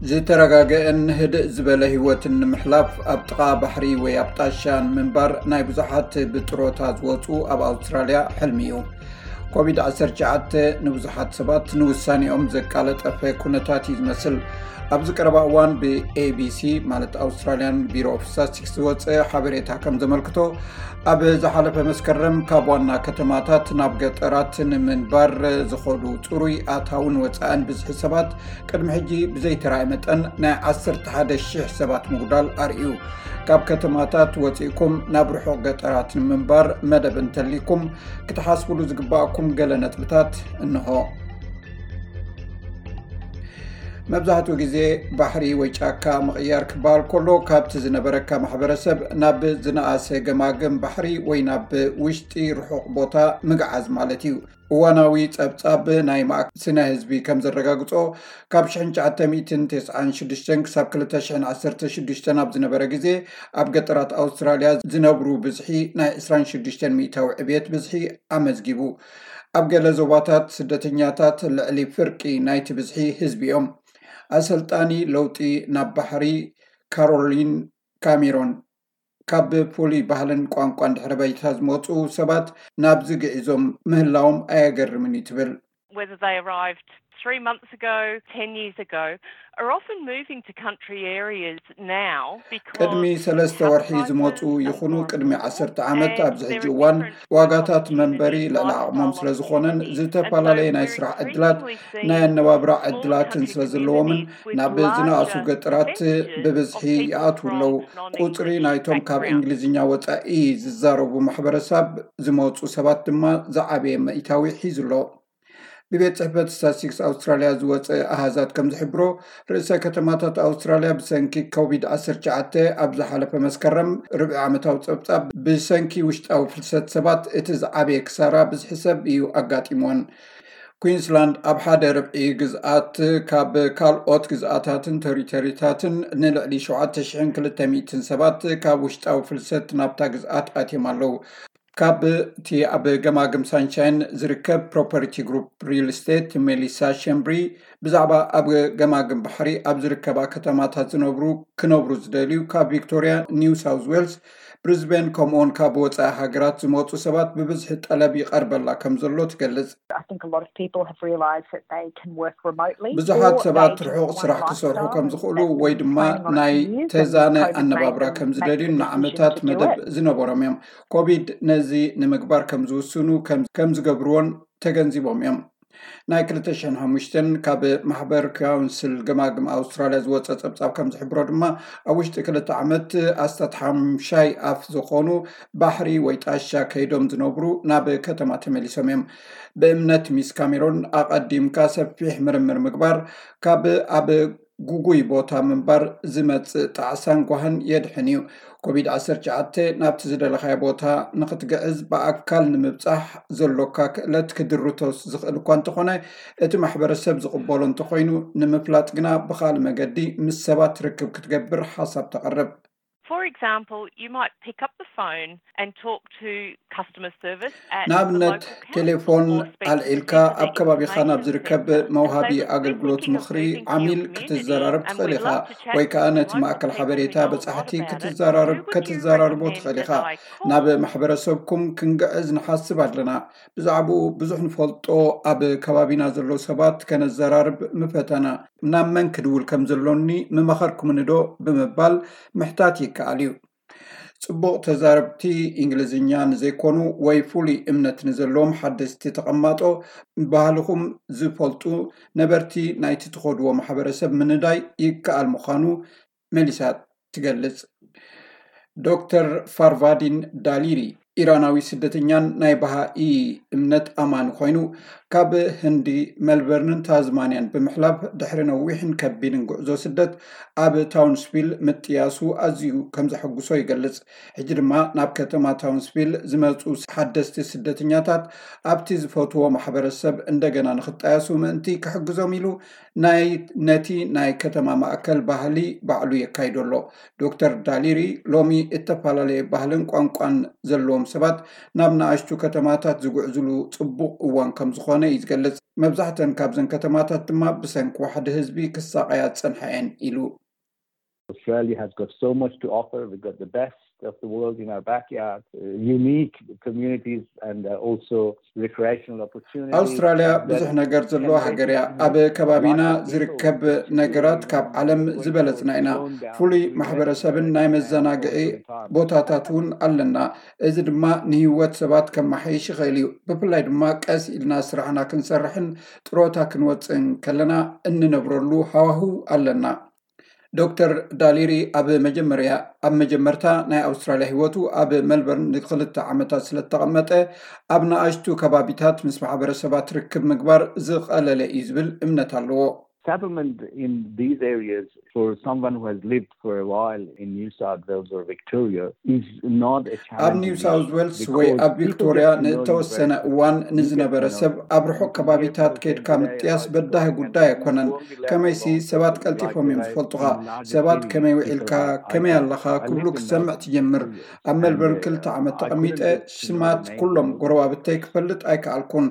ዝተረጋገአን ህድእ ዝበለ ህይወትን ንምሕላፍ ኣብ ጥቓ ባሕሪ ወይ ኣብ ጣሻ ንምንባር ናይ ብዙሓት ብጥሮታ ዝወፁ ኣብ ኣውስትራልያ ሕልሚ እዩ። ኮቪድ ዓሰርተ ትሽዓተ ንብዙሓት ሰባት ንውሳኔኦም ዘቃለጠፈ ኩነታት እዩ ዝመስል። ኣብዚ ቀረባ እዋን ብ A B C ማለት ኣውስትራልያን ቢሮ ኦፍ ስታቲስቲክስ ዝወፀ ሓበሬታ ከም ዘመልክቶ፣ ኣብ ዝሓለፈ መስከረም ካብ ዋና ከተማታት ናብ ገጠራት ንምንባር ዝኸዱ ፅሩይ ኣታውን ወፃእን ብዝሒ ሰባት ቅድሚ ሕጂ ብዘይተራእየ መጠን ናይ ዓሰርተ ሓደ ሺሕ ሰባት ምጉዳል ኣርእዩ። ካብ ከተማታት ወፂእኩም ናብ ርሑቕ ገጠራት ንምንባር መደብ እንተሊኩም ክትሓስብሉ ዝግባእኩም ገለ ነጥብታት እንሆ። መብዛሕትኡ ግዜ ባሕሪ ወይ ጫካ ምቕያር ክበሃል ከሎ፣ ካብቲ ዝነበረካ ማሕበረሰብ ናብ ዝነኣሰ ገማግም ባሕሪ ወይ ናብ ውሽጢ ርሑቕ ቦታ ምግዓዝ ማለት እዩ። እዋናዊ ጸብጻብ ናይ ማእከል ስነ ህዝቢ ከም ዘረጋግጾ፣ ካብ ሽሕን ትሽዓተ ሚእትን ተስዓን ሽዱሽተን ክሳብ ክልተ ሽሕን ዓሰርተ ሽዱሽተን ኣብ ዝነበረ ግዜ፣ ኣብ ገጠራት ኣውስትራልያ ዝነብሩ ብዝሒ ናይ ዕስራን ሽዱሽተን ሚእታዊ ዕብየት ብዝሒ ኣመዝጊቡ። ኣብ ገለ ዞባታት፣ ስደተኛታት ልዕሊ ፍርቂ ናይቲ ብዝሒ ህዝቢ እዮም። ኣሰልጣኒ ለውጢ ናብ ባሕሪ ካሮሊን ካሜሮን፣ ካብ ፍሉይ ባህልን ቋንቋን ድሕረ ባይታ ዝመጹ ሰባት ናብዚ ግዒዞም ምህላዎም ኣየገርምን እዩ ትብል። Whether they arrived three months ago, ten years ago, are often moving to country areas now because ቅድሚ ሰለስተ ወርሒ ዝመፁ ይኹኑ ቅድሚ ዓሰርተ ዓመት ኣብዚ ሕጂ እዋን ዋጋታት መንበሪ ልዕሊ ዓቕሞም ስለ ዝኾነን ዝተፈላለየ ናይ ስራሕ ዕድላት ናይ ኣነባብራ ዕድላትን ስለ ዘለዎምን ናብ ዝነኣሱ ገጠራት ብብዝሒ ይኣትዉ ኣለዉ። ቁፅሪ ናይቶም ካብ እንግሊዝኛ ወፃኢ ዝዛረቡ ማሕበረሰብ ዝመፁ ሰባት ድማ ዝዓበየ ሚእታዊ ሒዙ ኣሎ። ብቤት ጽሕፈት ስታትስቲክስ ኣውስትራልያ ዝወጸ ኣሃዛት ከም ዝሕብሮ፣ ርእሰ ከተማታት ኣውስትራልያ ብሰንኪ ኮቪድ ዓሰርተ ትሽዓተ ኣብ ዝሓለፈ መስከረም ርብዒ ዓመታዊ ጸብጻብ ብሰንኪ ውሽጣዊ ፍልሰት ሰባት እቲ ዝዓበየ ክሳራ ብዝሒ ሰብ እዩ ኣጋጢምዎን። ኩዊንስላንድ ኣብ ሓደ ርብዒ ግዝኣት ካብ ካልኦት ግዝኣታትን ተሪቶሪታትን ንልዕሊ ሸውዓተ ሽሕን ክልተ ሚእትን ሰባት ካብ ውሽጣዊ ፍልሰት ናብታ ግዝኣት ኣትዮም ኣለዉ። ካብ እቲ ኣብ ገማግም ሳንሻይን ዝርከብ ፕሮፐርቲ ግሩፕ ሪል ስቴት ሜሊሳ ሸምብሪ ብዛዕባ ኣብ ገማግም ባሕሪ ኣብ ዝርከባ ከተማታት ዝነብሩ ክነብሩ ዝደልዩ ካብ ቪክቶሪያ፣ ኒው ሳውዝ ዌልስ፣ ብሪዝቤን ከምኡውን ካብ ወፃኢ ሃገራት ዝመፁ ሰባት ብብዝሒ ጠለብ ይቐርበላ ከም ዘሎ ትገልጽ። I think a lot of people have realised that they can work remotely. ብዙሓት ሰባት ርሑቕ ስራሕ ክሰርሑ ከም ዝኽእሉ ወይ ድማ ናይ ተዛነ ኣነባብራ ከም ዝደልዩን ንዓመታት መደብ ዝነበሮም እዮም። ኮቪድ ነዚ ንምግባር ከም ዝውስኑ ከም ዝገብርዎን ተገንዚቦም እዮም። ናይ ክልተ ሽሕን ሓሙሽተን ካብ ማሕበር ካውንስል ገማግም ኣውስትራልያ ዝወፀ ፀብፃብ ከም ዝሕብሮ ድማ ኣብ ውሽጢ ክልተ ዓመት ኣስታት ሓምሻይ ኣፍ ዝኾኑ ባሕሪ ወይ ጣሻ ከይዶም ዝነብሩ ናብ ከተማ ተመሊሶም እዮም። ብእምነት ሚስ ካሜሮን ኣቐዲምካ ሰፊሕ ምርምር ምግባር ካብ ኣብ ጉጉይ ቦታ ምንባር ዝመጽእ ጣዕሳን ጓህን የድሕን እዩ። ኮቪድ ዓሰርተ ትሽዓተ ናብቲ ዝደለኻዮ ቦታ ንኽትግዕዝ ብኣካል ንምብጻሕ ዘሎካ ክእለት ክድርቶ ዝኽእል እኳ እንተኾነ፣ እቲ ማሕበረሰብ ዝቕበሎ እንተኾይኑ ንምፍላጥ ግና ብኻልእ መገዲ ምስ ሰባት ርክብ ክትገብር ሓሳብ ተቕርብ። For example, you might pick up the phone and talk to customer service at ንኣብነት ቴሌፎን ኣልዒልካ ኣብ ከባቢኻ ናብ ዝርከብ መውሃቢ ኣገልግሎት ምኽሪ ዓሚል ክትዘራረብ ትኽእል ኢኻ፣ ወይ ከኣ ነቲ ማእከል ሓበሬታ በጻሕቲ ክትዘራረብ ክትዘራርቦ ትኽእል ኢኻ። ናብ ማሕበረሰብኩም ክንግዕዝ ንሓስብ ኣለና። ብዛዕባኡ ብዙሕ ንፈልጦ ኣብ ከባቢና ዘለዉ ሰባት ከነዘራርብ ምፈተና። ናብ መን ክድውል ከም ዘሎኒ ምመኸርኩምኒ ዶ ብምባል ምሕታት ይከኣል እዩ። ጽቡቕ ተዛረብቲ እንግሊዝኛ ንዘይኮኑ ወይ ፍሉይ እምነት ንዘለዎም ሓደስቲ ተቐማጦ ባህልኹም ዝፈልጡ ነበርቲ ናይቲ ትኸድዎ ማሕበረሰብ ምንዳይ ይከኣል ምዃኑ መሊሳ ትገልጽ። ዶክተር ፋርቫዲን ዳሊሪ ኢራናዊ ስደተኛን ናይ ባሃኢ እምነት ኣማኒ ኮይኑ፣ ካብ ህንዲ መልበርንን ታዝማንያን ብምሕላፍ ድሕሪ ነዊሕን ከቢድን ጉዕዞ ስደት ኣብ ታውንስቪል ምጥያሱ ኣዝዩ ከም ዘሐጉሶ ይገልጽ። ሕጂ ድማ ናብ ከተማ ታውንስቪል ዝመጹ ሓደስቲ ስደተኛታት ኣብቲ ዝፈትዎ ማሕበረሰብ እንደገና ንኽጣየሱ ምእንቲ ክሕግዞም ኢሉ ናይ ነቲ ናይ ከተማ ማእከል ባህሊ ባዕሉ የካይዶ ኣሎ። ዶክተር ዳሊሪ ሎሚ እተፈላለየ ባህልን ቋንቋን ዘለዎም ሰባት ናብ ንኣሽቱ ከተማታት ዝጉዕዝሉ ጽቡቕ እዋን ከም ዝኾነ እዩ ዝገልጽ። መብዛሕተን ካብዘን ከተማታት ድማ ብሰንኪ ዋሕዲ ህዝቢ ክሳቐያ ዝጸንሓ እየን ኢሉ። Australia has got so much to offer. We've got the best of the world in our backyard, uh, unique communities and uh, also recreational opportunities. ኣውስትራልያ ብዙሕ ነገር ዘለዋ ሃገር እያ። ኣብ ከባቢና ዝርከብ ነገራት ካብ ዓለም ዝበለጽና ኢና። ፍሉይ ማሕበረሰብን ናይ መዘናግዒ ቦታታት እውን ኣለና። እዚ ድማ ንህይወት ሰባት ከመሓይሽ ይኽእል እዩ። ብፍላይ ድማ ቀስ ኢልና ስራሕና ክንሰርሕን ጥሮታ ክንወፅእን ከለና እንነብረሉ ሃዋህው ኣለና። ዶክተር ዳሊሪ ኣብ መጀመርያ ኣብ መጀመርታ ናይ ኣውስትራልያ ህይወቱ ኣብ መልበርን ንክልተ ዓመታት ስለተቐመጠ ኣብ ንኣሽቱ ከባቢታት ምስ ማሕበረሰባት ርክብ ምግባር ዝቐለለ እዩ ዝብል እምነት ኣለዎ። Settlement in these areas for someone who has lived for a while in New South Wales or Victoria is not a challenge. ኣብ ኒው ሳውዝ ዌልስ ወይ ኣብ ቪክቶሪያ ንእተወሰነ እዋን ንዝነበረ ሰብ ኣብ ርሑቕ ከባቢታት ከድካ ምጥያስ በዳሂ ጉዳይ ኣይኮነን። ከመይሲ ሰባት ቀልጢፎም እዮም ዝፈልጡኻ። ሰባት ከመይ ውዒልካ፣ ከመይ ኣለኻ ክብሉ ክትሰምዕ ትጀምር። ኣብ ሜልበርን ክልተ ዓመት ተቐሚጠ ሽማት ኩሎም ጎረባብተይ ክፈልጥ ኣይከኣልኩን።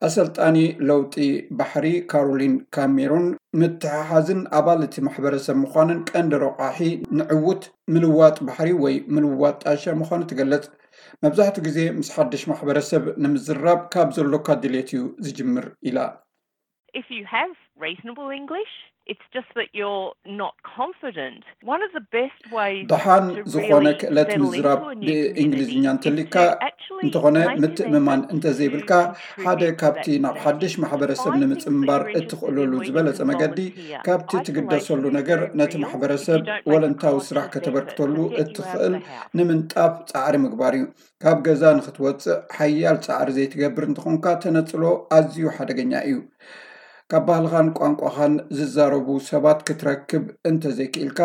ኣሰልጣኒ ለውጢ ባሕሪ ካሮሊን ካሜሩን ምትሕሓዝን ኣባል እቲ ማሕበረሰብ ምዃንን ቀንዲ ረቋሒ ንዕውት ምልዋጥ ባሕሪ ወይ ምልዋጥ ጣሻ ምዃኑ ትገልጽ። መብዛሕትኡ ግዜ ምስ ሓድሽ ማሕበረሰብ ንምዝራብ ካብ ዘሎካ ድሌት እዩ ዝጅምር ኢላ። If you have reasonable English, it's just that you're not confident. One of the best ways ደሓን ዝኾነ ክእለት ምዝራብ ብእንግሊዝኛ እንተሊካ እንተኾነ ምትእምማን እንተዘይብልካ ሓደ ካብቲ ናብ ሓድሽ ማሕበረሰብ ንምፅምባር እትኽእለሉ ዝበለፀ መገዲ ካብቲ ትግደሰሉ ነገር ነቲ ማሕበረሰብ ወለንታዊ ስራሕ ከተበርክተሉ እትኽእል ንምንጣፍ ፃዕሪ ምግባር እዩ። ካብ ገዛ ንክትወፅእ ሓያል ፃዕሪ ዘይትገብር እንተኾንካ ተነፅሎ ኣዝዩ ሓደገኛ እዩ። ካብ ባህልኻን ቋንቋኻን ዝዛረቡ ሰባት ክትረክብ እንተዘይክኢልካ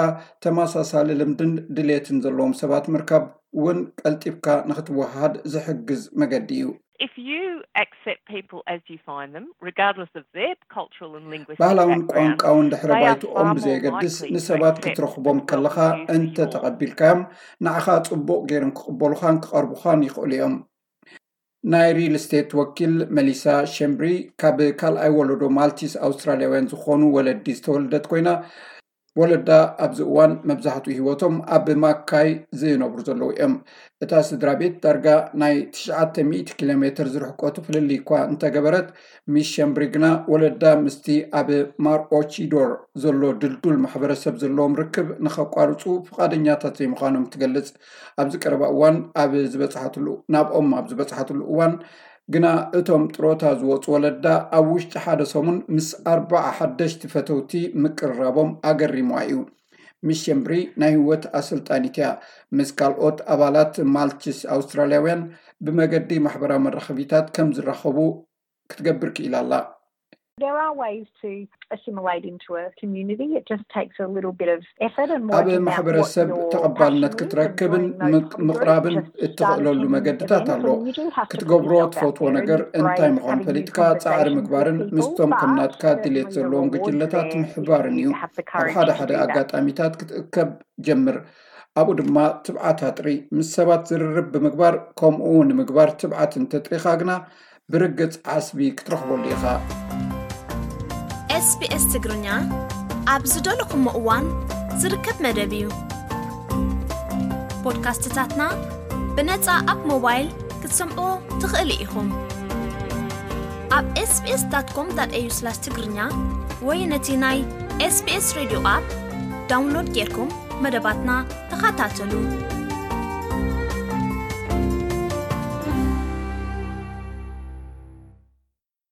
ተመሳሳሊ ልምድን ድሌትን ዘለዎም ሰባት ምርካብ እውን ቀልጢፍካ ንክትወሃሃድ ዝሕግዝ መገዲ እዩ። If you accept people as you find them, regardless of their cultural and linguistic ባህላውን background, ቋንቋውን ድሕረ they are ባይትኦም far more ብዘየገድስ likely to ንሰባት accept ክትረኽቦም and ከለኻ welcome you for እንተ yours. ተቐቢልካዮም ንዓኻ ጽቡቕ ገይሮም ክቕበሉኻን ክቐርቡኻን ይኽእሉ እዮም። ናይ ሪል ስቴት ወኪል መሊሳ ሸምብሪ ካብ ካልኣይ ወለዶ ማልቲስ ኣውስትራልያውያን ዝኾኑ ወለዲ ዝተወለደት ኮይና ወለዳ ኣብዚ እዋን መብዛሕትኡ ህይወቶም ኣብ ማካይ ዝነብሩ ዘለዉ እዮም። እታ ስድራ ቤት ዳርጋ ናይ ትሽዓተ ሚእቲ ኪሎ ሜትር ዝርሕቀቱ ፍልልይ እኳ እንተገበረት ሚስ ሸምብሪ ግና ወለዳ ምስቲ ኣብ ማርኦቺዶር ዘሎ ድልዱል ማሕበረሰብ ዘለዎም ርክብ ንኸቋርፁ ፍቓደኛታት ዘይምዃኖም ትገልጽ። ኣብዚ ቀረባ እዋን ኣብ ዝበፅሓትሉ ናብኦም ኣብ ዝበፅሓትሉ እዋን ግና እቶም ጥሮታ ዝወፁ ወለዳ ኣብ ውሽጢ ሓደ ሰሙን ምስ ኣርባዓ ሓደሽቲ ፈተውቲ ምቅርራቦም ኣገሪምዋ እዩ። ሚስ ሸምብሪ ናይ ህይወት ኣሰልጣኒት እያ። ምስ ካልኦት ኣባላት ማልቲስ ኣውስትራልያውያን ብመገዲ ማሕበራዊ መራኸቢታት ከም ዝራኸቡ ክትገብር ክኢላ ኣላ። There are ways to assimilate into a community. It just takes a little bit of effort and ኣብ working out what ማሕበረሰብ your ተቐባልነት passion is and ክትረክብን joining those ምቅ- kind of ምቕራብን groups. Just እትኽእለሉ starting መገድታት events ኣሎ። and you do have to put ክትገብሮ yourself out ትፈትዎ there. ነገር It's great እንታይ ምዃኑ having these ፈሊጥካ ፃዕሪ conversations with ምግባርን people, ምስቶም but ከምናትካ ድሌት certainly the ዘለዎም rewards ጉጅለታት there if ምሕባርን you እዩ። have the ኣብ courage ሓደ to ሓደ do that. ኣጋጣሚታት ክትእከብ ጀምር። ኣብኡ ድማ ትብዓት ኣጥሪ። ምስ ሰባት ዝርርብ ብምግባር ከምኡ ንምግባር ትብዓት እንተጥሪኻ ግና ብርግጽ ዓስቢ ክትረኽበሉ ኢኻ። ኤስቢኤስ ትግርኛ ኣብ ዝደለኹሞ እዋን ዝርከብ መደብ እዩ። ፖድካስትታትና ብነጻ ኣብ ሞባይል ክትሰምዑ ትኽእሉ ኢኹም። ኣብ ኤስቢኤስ ዳት ኮም ዳት ኤዩ ስላሽ ትግርኛ ወይ ነቲ ናይ ኤስቢኤስ ሬድዮ ኣፕ ዳውንሎድ ጌርኩም መደባትና ተኸታተሉ።